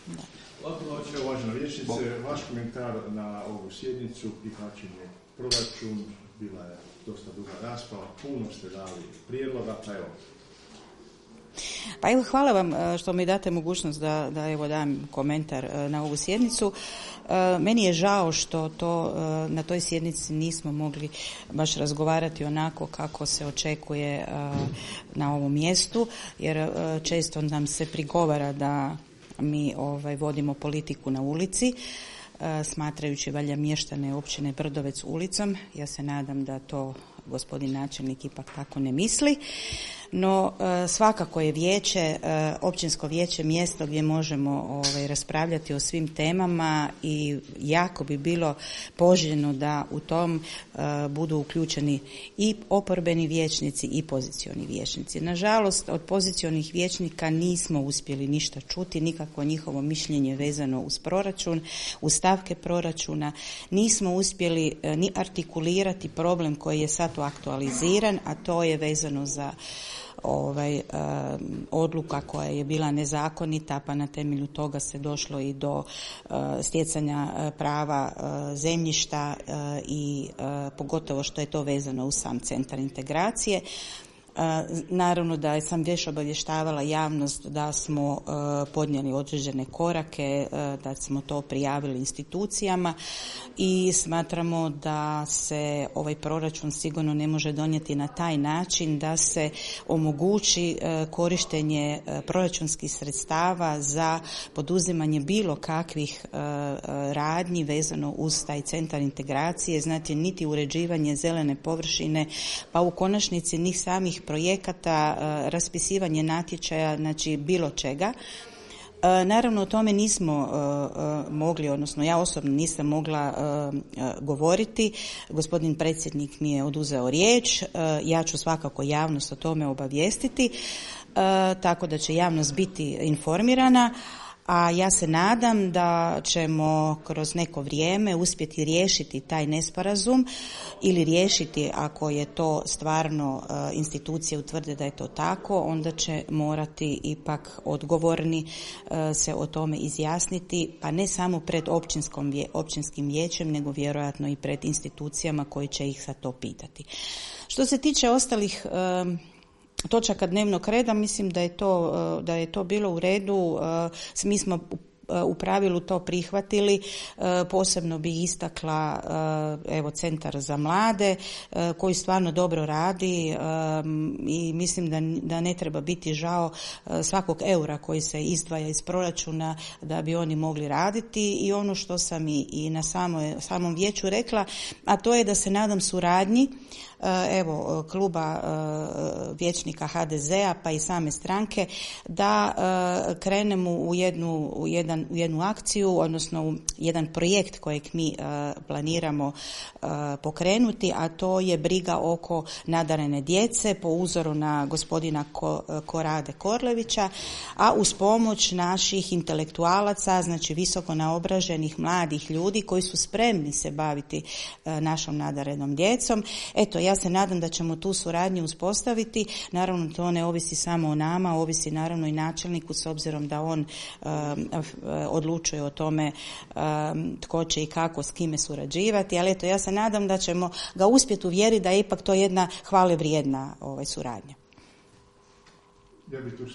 Da. Lako uvažena vijećnice, vaš komentar na ovu sjednicu, prihvaćenje proračun, bila je dosta duga rasprava, puno ste dali prijedloga, pa evo. Pa evo, hvala vam što mi date mogućnost da evo dam komentar na ovu sjednicu. Meni je žao što na toj sjednici nismo mogli baš razgovarati onako kako se očekuje na ovom mjestu, jer često nam se prigovara da mi vodimo politiku na ulici, smatrajući valjda mještane općine Brdovec ulicom. Ja se nadam da to gospodin načelnik ipak tako ne misli. No, svakako je vijeće, općinsko vijeće mjesto gdje možemo raspravljati o svim temama i jako bi bilo poželjno da u tom budu uključeni i oporbeni vijećnici i pozicioni vijećnici. Nažalost, od pozicionih vijećnika nismo uspjeli ništa čuti, nikakvo njihovo mišljenje vezano uz proračun, uz stavke proračuna. Nismo uspjeli ni artikulirati problem koji je sad aktualiziran, a to je vezano za odluka koja je bila nezakonita, pa na temelju toga se došlo i do stjecanja prava zemljišta i pogotovo što je to vezano uz sam centar integracije. Naravno da sam već obavještavala javnost da smo podnijeli određene korake, da smo to prijavili institucijama i smatramo da se ovaj proračun sigurno ne može donijeti na taj način da se omogući korištenje proračunskih sredstava za poduzimanje bilo kakvih radnji vezano uz taj centar integracije, znači niti uređivanje zelene površine, pa u konačnici ni samih projekata, raspisivanje natječaja, znači bilo čega. Naravno o tome nismo mogli, odnosno ja osobno nisam mogla govoriti. Gospodin predsjednik mi je oduzeo riječ, ja ću svakako javnost o tome obavijestiti, tako da će javnost biti informirana. A ja se nadam da ćemo kroz neko vrijeme uspjeti riješiti taj nesporazum ili riješiti, ako je to stvarno institucije utvrde da je to tako, onda će morati ipak odgovorni se o tome izjasniti, pa ne samo pred općinskim vijećem, nego vjerojatno i pred institucijama koji će ih za to pitati. Što se tiče ostalih točaka dnevnog reda, mislim da je to bilo u redu. Mi smo u pravilu to prihvatili. Posebno bi istakla Centar za mlade koji stvarno dobro radi i mislim da ne treba biti žao svakog eura koji se izdvaja iz proračuna da bi oni mogli raditi. I ono što sam i na samom vijeću rekla, a to je da se nadam suradnji kluba vijećnika HDZ-a pa i same stranke da krenemo u jednu akciju, odnosno u jedan projekt kojeg mi planiramo pokrenuti, a to je briga oko nadarene djece po uzoru na gospodina Korade Korlevića, a uz pomoć naših intelektualaca, znači visoko naobraženih mladih ljudi koji su spremni se baviti našom nadarenom djecom. Eto, ja se nadam da ćemo tu suradnju uspostaviti. Naravno, to ne ovisi samo o nama, ovisi naravno i načelniku, s obzirom da on odlučuje o tome tko će i kako s kime surađivati, ali eto, ja se nadam da ćemo ga uspjeti uvjeriti da je ipak to jedna hvale vrijedna suradnja. Ja bih tu